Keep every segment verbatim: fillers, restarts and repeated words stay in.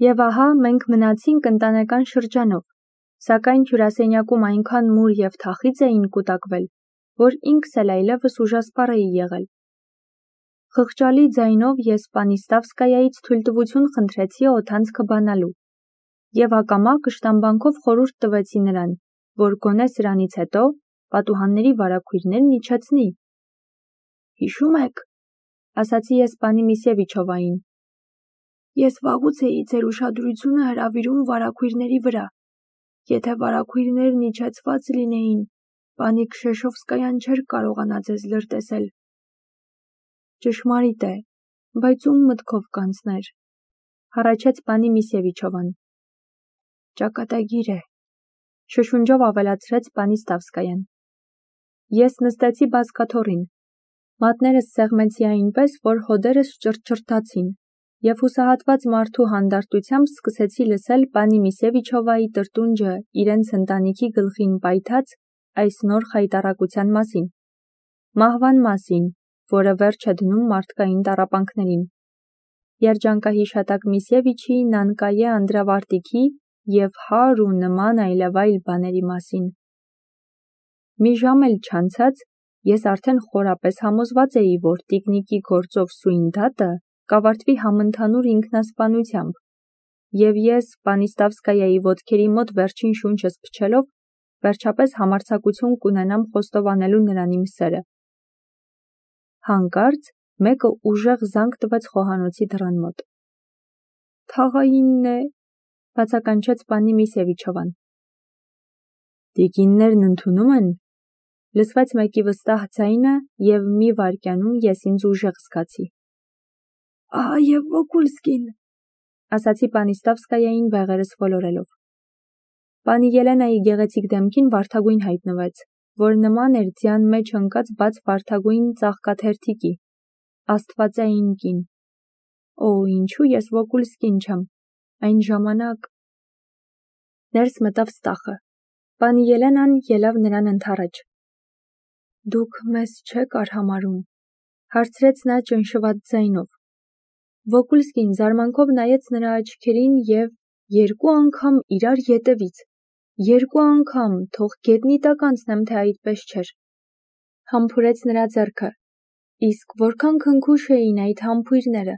Եվ ահա մենք մնացինք ընտանեկան շրջանով, սակայն հյուրասենյակում այնքան մուր և թախիծ էին կուտակվել, որ ինքս էլ այլևս ուժասպառ էի եղել։ Խղճալի ձայնով ես Պանիստավսկայայից թույլտվություն խնդրեցի օդանցքը բանալու, և ակամա կշտամբանքով խորհուրդ տվեցի նրան, որ գոնե սրանից հետո պատուհանների վարագույրներն իջեցնի։ Հիշում եք, ասացի ես պանի Միսևիչովային, ես վաղուց էի ձեր ուշադրությունը հրավիրում վարագույրների վրա։ Եթե վարագույրներն իջեցված լինեին, պանի Քշեշովսկայան չէր կարողանա ձեզ լրտեսել։ Ճշմարիտ է, բայց ում մտքով կանցներ, հառաչեց պանի Միսևիչովան։ Ճակատագիր է, շշունջով ավելացրեց Պանիստավսկայան։ Ես նստեցի բազկաթոռին, մատներս սեղմեցի այնպես, որ հոդերս ճռճռթացին, և հուսահատված մարդու հանդարտությամբ սկսեցի լսել պանի Միսևիչովայի տրտունջը իրենց ընտանիքի գլխին պայթած այս նոր խայտառակության մասին, մահվան մասին, որը վերջ է դնում մարդկային տառապանքներին, երջանկահիշատակ Միսևիչի Նանկայե անդրավարտիքի և հար ու նման այլևայլ բաների մասին։ Մի ժամ էլ չանցած, ես արդեն խորապես համոզված էի, որ տիկնիկի գործով սույն դատը կավարտվի համընդհանուր ինքնասպանությամբ, և ես Պանիստավսկայայի ոտքերի մոտ վերջին շունչս փչելով, վերջապես համարձակություն կունենամ խոստովանելու նրան իմ սերը։ Հանկարծ մեկը ուժեղ զանգ տվեց խոհանոցի դռան մոտ։ Թաղայինն է, բացականչեց պանի Միսևիչովան։ Տիկիններն ընդունում են, լսվեց մեկի վստահ ձայնը, և մի վայրկյանում ես ինձ ուժեղ զգացի։ Ահա և Վոկուլսկին, ասացի Պանիստավսկայային բեղերս ոլորելով։ Պանի Ելենայի գեղեցիկ դեմքին վարդագույն հայտնվեց, որ նման էր ձյան մեջ ընկած բաց վարդագույն ծաղկաթերթիկի, աստվածային կին։ Օ, ինչու ես Վոկուլսկին չեմ, այն ժամանակ… Ներս մտավ Ստախը։ Պանի Ելենան ելավ նրան ընդառաջ։ Դուք մեզ չեք արհամարհում, հարցրեց նա ճնշված ձայնով։ Վոկուլսկին զարմանքով նայեց նրա աչքերին և երկու անգամ իրար ետևից, երկու անգամ, թող գետնի տակ անցնեմ, թե այդպես չէր։ Համբուրեց նրա ձեռքը։ Իսկ որքան քնքուշ էին այդ համբույրները,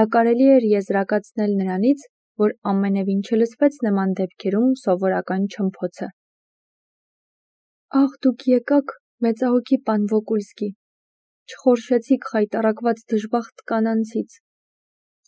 դա կարելի էր եզրակացնել նրանից, որ ամենևին չլսվեց նման դեպքերում սովորական չմփոցը։ Ախ, դուք եկաք, մեծահոգի պան Վոկուլսկի, չխորշեցիք խայտառակված դժբախտ կանանցից,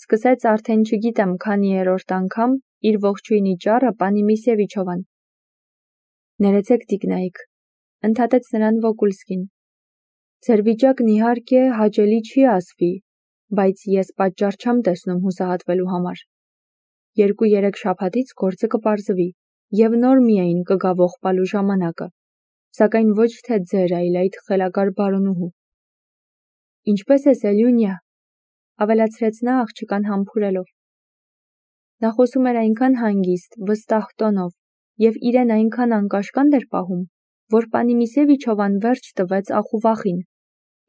սկսեց արդեն չգիտեմ քանի երրորդ անգամ իր ողջույնի ճառը պանի Միսևիչովան։ Ներեցեք, տիկնայք, ընդհատեց նրան Վոկուլսկին։ Ձեր վիճակն իհարկե հաճելի չի ասվի, բայց ես պատճառ չեմ տեսնում հուսահատվելու համար։ Երկու-երեք շաբաթից գործը կպարզվի, և նոր միայն կգա ողբալու ժամանակը, սակայն ոչ թե ձեր, այլ այդ խելագար բարոնուհու։ Ինչպե՞ս ես, Էլյունյա, ավելացրեց նա աղջկան համբուրելով։ Նա խոսում էր այնքան հանգիստ, վստահ տոնով, և իրեն այնքան անկաշկանդ էր պահում, որ պանի Միսևիչովան վերջ տվեց ախուվախին,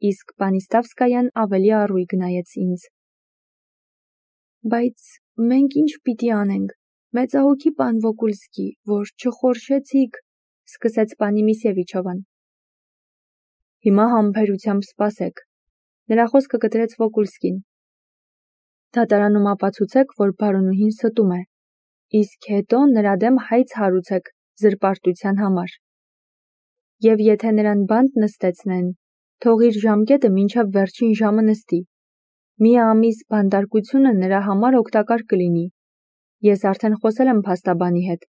իսկ Պանիստավսկայան ավելի առույգ նայեց ինձ։ Բայց մենք ինչ պիտի անենք, մեծահոգի պան Վոկուլսկի, որ չխորշեցիք, սկսեց պանի Միսևիչովան։ Հիմա համբերությամբ սպասեք, նրա խոսքը կտրեց Վոկուլսկին։ Դատարանում ապացուցեք, որ բարոնուհին ստում է, իսկ հետո նրա դեմ հայց հարուցեք զրպարտության համար։ Եվ եթե նրան բանտ նստեցնեն, թող իր ժամկետը մինչև վերջին ժամը նստի։ Մի ամիս բանտարկությունը նրա համար օգտակար կլինի։ Ես արդեն խոսել եմ փաստաբանի հետ,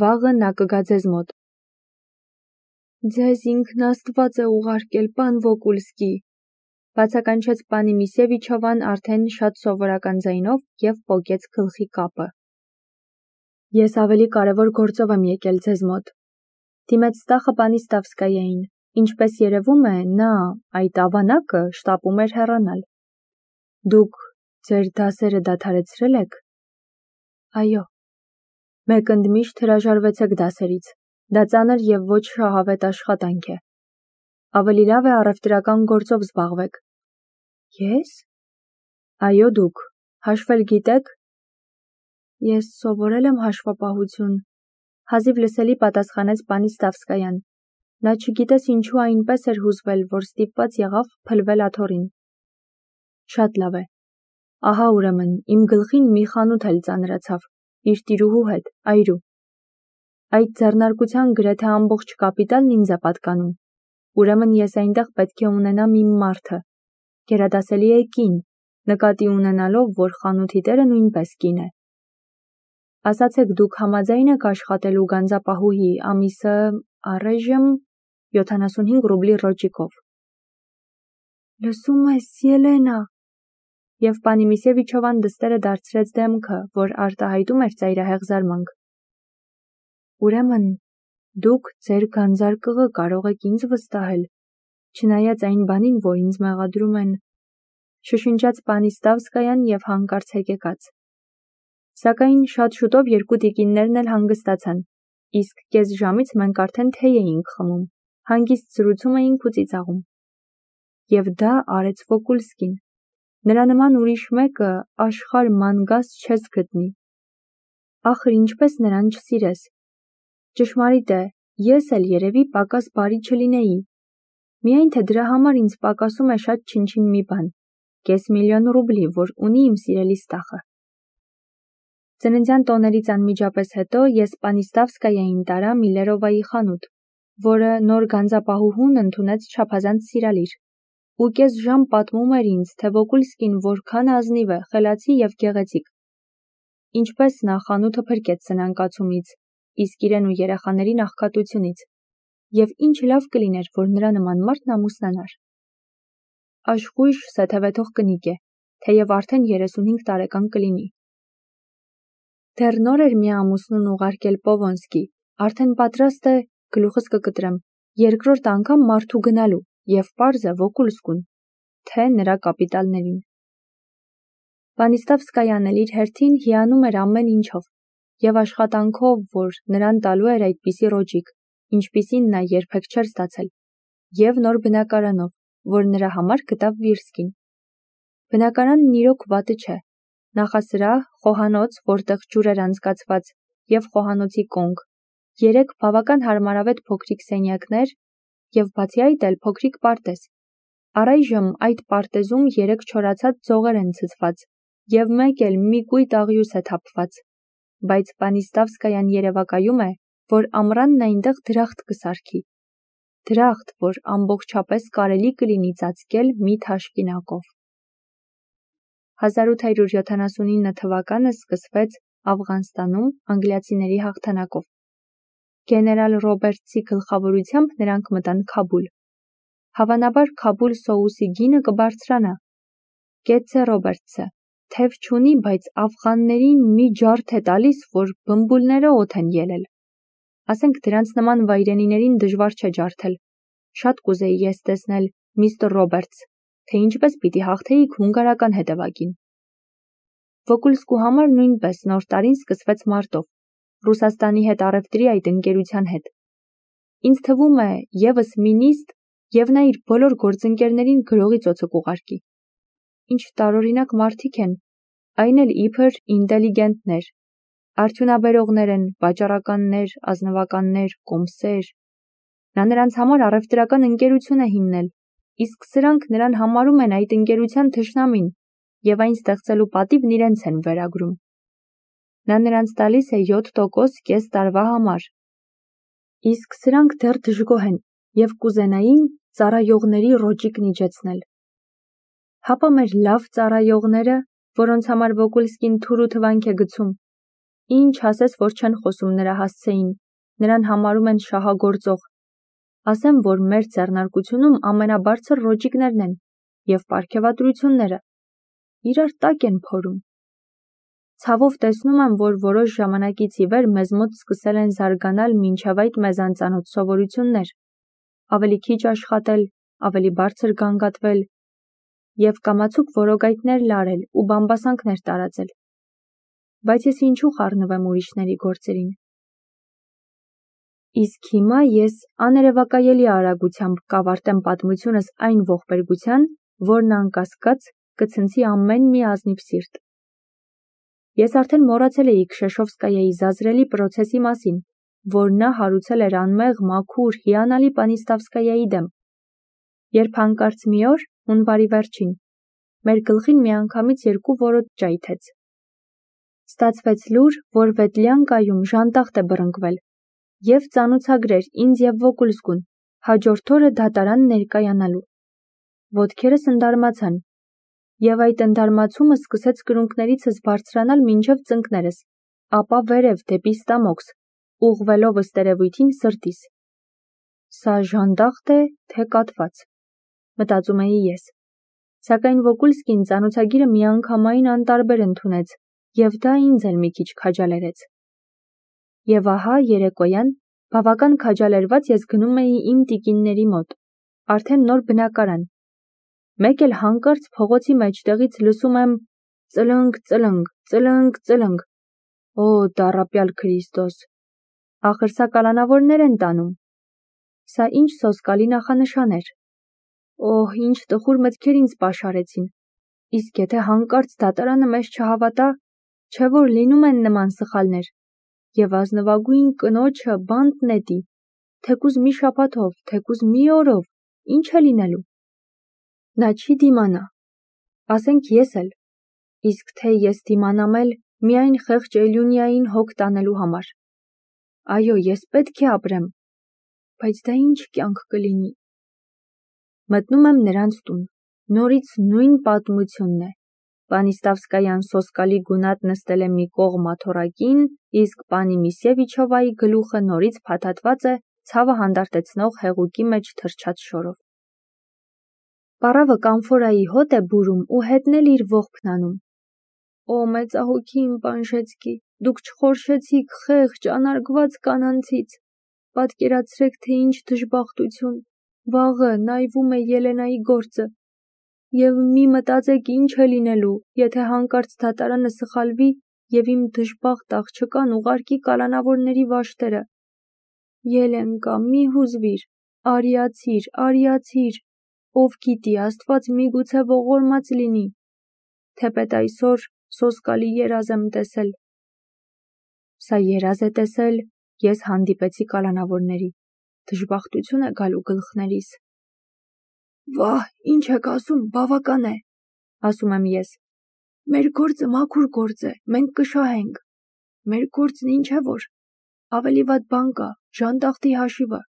վաղը նա կգա ձեզ մոտ։ Ձեզ ինքն Աստված է ուղարկել, պան Վոկուլսկի, բացականչեց պանի Միսևիչովան արդեն շատ սովորական ձայնով և պոկեց գլխի կապը։ Ես ավելի կարևոր գործով եմ եկել ձեզ մոտ։ Դիմեց Ստախը Պանիստավսկայային, ինչպես երևում է, նա, այդ ավանակը, շտապում էր հեռանալ։ Դուք ձեր դասերը դադարեցրել եք։ Այո։ Մեկ ընդմիշտ հրաժարվեցեք դասերից, դա ծանր և ոչ շահավետ աշխատանք է։ Ավելի լավ է առևտրական գործով զբաղվեք։ Ես։ Այո, դուք հաշվել գիտեք։ Ես սովորել եմ հաշվապահություն, հազիվ լսելի պատասխանեց պանի Ստավսկայան։ Նա չգիտես ինչու այնպես էր հուզվել, որ ստիպված եղավ փլվել աթոռին։ Շատ լավ է։ Ահա ուրեմն իմ գլխին մի խանութ էլ ծանրացավ, իր տիրուհու հետ, այրու։ Այդ ձեռնարկության գրեթե ամբողջ կապիտալն ինձ է պատկանում։ Ուրեմն ես այնտեղ պետք է ունենամ իմ մարդը։ Գերադասելի է կին, նկատի ունենալով, որ խանութի տերը նույնպես կին է։ Ասացեք, դուք համաձայն եք աշխատելու գանձապահուհի ամիսը առայժմ յոթանասունհինգ ռուբլի ռոճիկով։ Լսում ես, Ելենա։ Եվ պանի Միսևիչովան դստերը դարձրեց դեմքը, որ արտահայտում էր ծայրահեղ զարմանք։ Ուրեմն, դուք ձեր գանձարկղը կարող եք ինձ վստահել, չնայած այն բանին, որ ինձ մեղադրում են, շշնջաց պանի Ստավսկայան և հանկարծ հեկեկաց։ Սակայն շատ շուտով երկու տիկիններն էլ հանգստացան, իսկ կես ժամից մենք արդեն թեյ էինք խմում, հանգիստ զրուցում էինք ու ծիծաղում։ Եվ դա արեց Վոկուլսկին։ Նրա նման ուրիշ մեկը աշխարհ ման-գազ չես գտնի։ Ախր ինչպես նրան չսիրես։ Ճշմարիտ է, ես էլ երևի պակաս բարի չլինեի։ Միայն թե դրա համար ինձ պակասում է շատ չնչին մի բան, կես միլիոն ռուբլի, որ ունի իմ սիրելի Ստախը։ Ծննդյան տոներից անմիջապես հետո ես պանի Ստավսկայանին տարա Միլերովայի խանութ, որը նոր գանձապահուհուն ընդունեց չափազանց սիրալիր, ու կես ժամ պատմում էր ինձ, թե Վոկուլսկին որքան ազնիվ է, խելացի և գեղեցիկ։ Ինչպես նա խանութը փրկեց սնանկացումից, իսկ իրեն ու երեխաներին աղքատությունից, և ինչ լավ կլիներ, որ նրա նման մարդն ամուսնանար։ Աշխույժ սեթևեթող կնիկ է, թեև արդեն երեսունհինգ տարեկան կլինի։ Դեռ նոր էր մի ամուսնուն ուղարկել Պովոնսկի, արդեն պատրաստ է, գլուխս կկտրեմ, երկրորդ անգամ մարդու գնալու, և պարզ է Վոկուլսկուն, թե նրա կապիտալներին։ Պանի Ստավսկայան էլ իր հերթին հիանում էր ամեն ինչով, և աշխատանքով, որ նրան տալու էր այդպիսի ռոճիկ, ինչպիսին նա երբեք չէր ստացել, և նոր բնակարանով, որ նրա համար գտավ Վիրսկին։ Բնակարանն իրոք վատը չէ։ Նախասրահ, խոհանոց, որտեղ ջուր էր անցկացված, և խոհանոցի կոնք, երեք բավական հարմարավետ փոքրիկ սենյակներ և բացի այդ էլ փոքրիկ պարտեզ։ Առայժմ այդ պարտեզում երեք չորացած ձողեր են ցցված, և մեկ էլ մի կույտ աղյուս է թափված, բայց պանի Ստավսկայան երևակայում է, որ ամռանն այնտեղ դրախտ կսարքի։ Դրախտ, որ ամբողջապես կարելի կլինի ծածկել մի թաշկինակով։ հազար ութ հարյուր յոթանասունինը թվականը սկսվեց Աֆղանստանում անգլիացիների հաղթանակով։ Գեներալ Ռոբերտսի գլխավորությամբ նրանք մտան Քաբուլ։ Հավանաբար Քաբուլ սոուսի գինը կբարձրանա։ Կեցցե Ռոբերտսը, թև չունի, բայց աֆղաններին մի ջարդ է տալիս, որ բմբուլները օդ են ելել։ Ասենք դրանց նման վայրենիներին դժվար չէ ջարդել։ Շատ կուզեի ես տեսնել, միստր Ռոբերտս, թե ինչպես պիտի հաղթեիք հունգարական հետևակին։ Վոկուլսկու համար նույնպես նոր տարին սկսվեց մարտով, Ռուսաստանի հետ առևտրի այդ ընկերության հետ։ Ինձ թվում է, ևս մի նիստ, և նա իր բոլոր գործընկերներին գրողի ծոցը կուղարկի։ Ինչ տարօրինակ մարդիկ են, այն էլ իբր ինտելիգենտներ, արդյունաբերողներ են, վաճառականներ, ազնվականներ, կոմսեր։ Նա նրանց համար առևտրական ընկերություն է հիմնել, իսկ սրանք նրան համարում են այդ ընկերության թշնամին, և այն ստեղծելու պատիվն իրենց են վերագրում։ Նա նրանց տալիս է յոթ տոկոս կես տարվա համար։ Իսկ սրանք դեռ դժգոհ են և կուզենային ծառայողների ռոճիկն իջեցնել։ Հապա մեր լավ ծառայողները, որոնց համար Վոկուլսկին թուր ու թվանք է գցում, ինչ ասես, որ չեն խոսում նրա հասցեին, նրան համարում են շահագործող։ Ասեմ, որ մեր ձեռնարկությունում ամենաբարձր ռոճիկներն են, և պարգևատրությունները իրար տակ են փորում։ Ցավով տեսնում եմ, որ որոշ ժամանակից ի վեր մեզ մոտ սկսել են զարգանալ մինչև այդ մեզ անծանոթ սովորություններ, ավելի քիչ աշխատել, ավելի բարձր գանգատվել և կամացուկ որոգայթներ լարել ու բամբասանքներ տարածել։ Բայց ես ինչու խառնվեմ ուրիշների գործերին։ Իսկ հիմա ես աներևակայելի արագությամբ կավարտեմ պատմությունս այն ողբերգության, որն անկասկած կցնցի ամեն մի ազնիվ սիրտ։ Ես արդեն մոռացել էի Քշեշովսկայայի զազրելի պրոցեսի մասին, որ նա հարուցել էր անմեղ, մաքուր, հիանալի Պանիստավսկայայի դեմ։ Երբ հանկարծ մի օր, հունվարի վերջին, մեր գլխին միանգամից երկու որոտ ճայթեց։ Ստացվեց լուր, որ Վետլյանկայում ժանտախտ է բռնկվել, և ծանուցագրեր ինձ և Վոկուլսկուն, հաջորդ օրը դատարան ներկայանալու։ Ոտքերս ընդարմացան, և այդ ընդարմացումը սկսեց կրունկներիցս բարձրանալ մինչև ծնկներս, ապա վերև դեպի ստամոքս, ուղղվելով ըստ երևույթին սրտիս։ Սա ժանդախտ է, թե կատված, մտածում էի ես, սակայն Վոկուլսկին ծանուցագիրը միանգամայն անտարբեր ընդունեց, և դա ինձ էլ մի քիչ քաջալերեց։ Եվ ահա երեկոյան, բավական քաջալերված ես գնում էի իմ տիկինների մոտ, արդեն նոր բնակարան։ Մեկ էլ հանկարծ փողոցի մեջտեղից լսում եմ ծլնգ, ծլնգ, ծլնգ, ծլնգ։ Օ, տառապյալ Քրիստոս, ախր սա կալանավորներ են տանում։ Սա ինչ սոսկալի նախանշան էր։ Օհ, ինչ տխուր մտքեր ինձ պաշարեցին։ Իսկ եթե հանկարծ դատարանը մեզ չհավատա, չէ՞ որ լինում են նման սխալներ, և ազնվագույն կնոջը բանտ նետի, թեկուզ մի շաբաթով, թեկուզ մի օրով, ինչ է լինելու։ Նա չի դիմանա, ասենք ես էլ, իսկ թե ես դիմանամ էլ միայն խեղճ Էլյունիային հոգ տանելու համար։ Այո, ես պետք է ապրեմ, բայց դա ինչ կյանք կլինի։ Մտնում եմ նրանց տուն, նորից նույն պատմությունն է։ Պանիստավսկայան սոսկալի գունատ նստել է մի կողմ աթոռակին, իսկ պանի Միսևիչովայի գլուխը նորից փաթաթված է ցավը հանդարտեցնող հեղուկի մեջ թրջած շորով։ Պառավը կամֆորայի հոտ է բուրում ու հետն էլ իր ողբն անում։ Օ, մեծահոգի իմ Պանժեցկի, դուք չխորշեցիք խեղճ, անարգված կանանցից։ Պատկերացրեք, թե ինչ դժբախտություն, վաղը նայվում է Ելենայի գործը։ Եվ մի մտածեք ինչ է լինելու, եթե հանկարծ դատարանը սխալվի և իմ դժբախտ աղջկան ուղարկի կալանավորների վաշտերը։ Ելենկա, մի հուզվիր, արիացիր, արիացիր, ով գիտի, Աստված միգուցե ողորմած լինի, թեպետ այսօր սոսկալի երազ եմ տեսել։ Սա երազ է տեսել, ես հանդիպեցի կալանավորների, դժբախտություն է գալու գլխներիս։ Վահ, ինչ եք ասում, բավական է, ասում եմ ես։ Մեր գործը մաքուր գործ է, մենք կշահենք։ Մեր գործն ինչ է որ, ավելի վատ բան կա, ժանտախտի հաշիվը։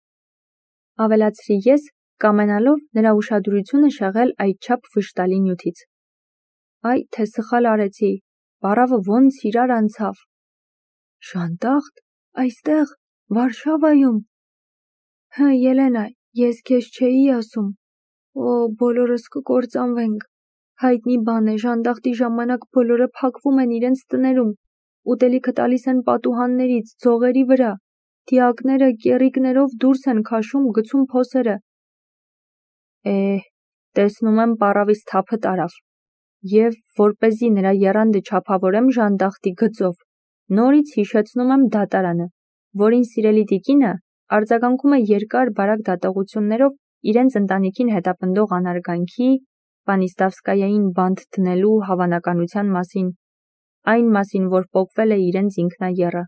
Ավելացրի ես, կամենալով նրա ուշադրությունը շեղել այդչափ վշտալի նյութից։ Այ թե սխալ արեցի, պառավը ոնց իրար անցավ։ Ժանտախտ, այստեղ, Վարշավայում։ Հը, Ելենա, ես քեզ չէի ասում։ Օ, բոլորս կկործանվենք։ Հայտնի բան է, ժանտախտի ժամանակ բոլորը փակվում են իրենց տներում, ուտելիքը տալիս են պատուհաններից, ձողերի վրա, դիակները կեռիկներով դուրս են քաշում, գցում փոսերը։ Է, տեսնում եմ պառավիս թափը տարավ, և որպեսզի նրա եռանդը չափավորեմ ժանտախտի գծով, նորից հիշեցնում եմ դատարանը, որին սիրելի տիկինը արձագանքում է երկար բարակ դատողություններով իրենց ընտանիքին հետապնդող անարգանքի, Պանիստավսկայային բանտ դնելու հավանականության մասին, այն մասին, որ պոկվել է իրենց ինքնաեռը։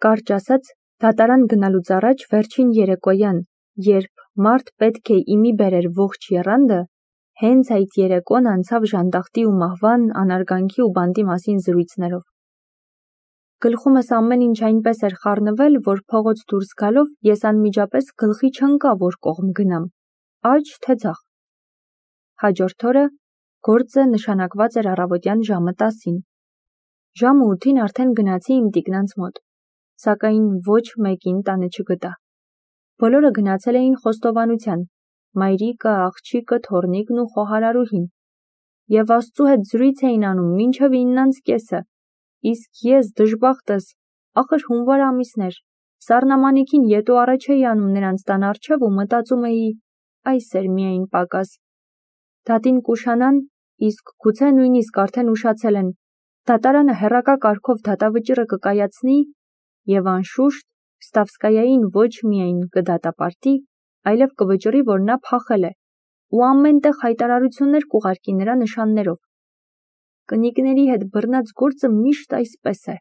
Կարճ ասած, դատարան գնալուց առաջ վերջին երեկոյան, երբ մարդ պետք է իմի բերեր ողջ եռանդը, հենց այդ երեկոն անցավ ժանտախտի ու մահվան, անարգանքի ու բանտի մասին զրույցներով։ Գլխումս ամեն ինչ այնպես էր խառնվել, որ փողոց դուրս գալով ես անմիջապես գլխի չընկա, որ կողմ գնամ, աջ թե ձախ։ Հաջորդ օրը գործը նշանակված էր առավոտյան ժամը տասին։ Ժամը ութին արդեն գնացի իմ տիկնանց մոտ, սակայն ոչ մեկին տանը չգտա։ Բոլորը գնացել էին խոստովանության, մայրիկը, աղջիկը, թոռնիկն ու խոհարարուհին, և Աստծու հետ զրույց էին անում մինչև իննանց կեսը, իսկ ես դժբախտս, ախր հունվար ամիսն էր, սառնամանիքին ետու առաջ էի անում նրանց տան առջև ու մտածում էի, այս էր միայն պակաս։ Դատին կուշանան, իսկ գուցե նույնիսկ արդեն ուշացել են, դատարանը հեռակա կարգով դատավճիռը կկայացնի, և անշուշտ Ստավսկայային ոչ միայն կդատապարտի, այլև կվճռի, որ նա փախել է, ու ամեն տեղ հայտարարություններ կուղարկի նրա նշաններով։ կնիկների հետ բռնած գործը միշտ այսպես է։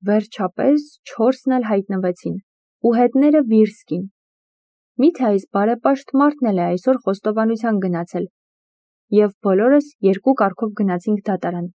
Վերջապես չորսն էլ հայտնվեցին, ու հետները Վիրսկին։ Միթե այս բարեպաշտ մարդն էլ է այսօր խոստովանության գնացել, և բոլորս երկու կառքով գնացինք դատարան։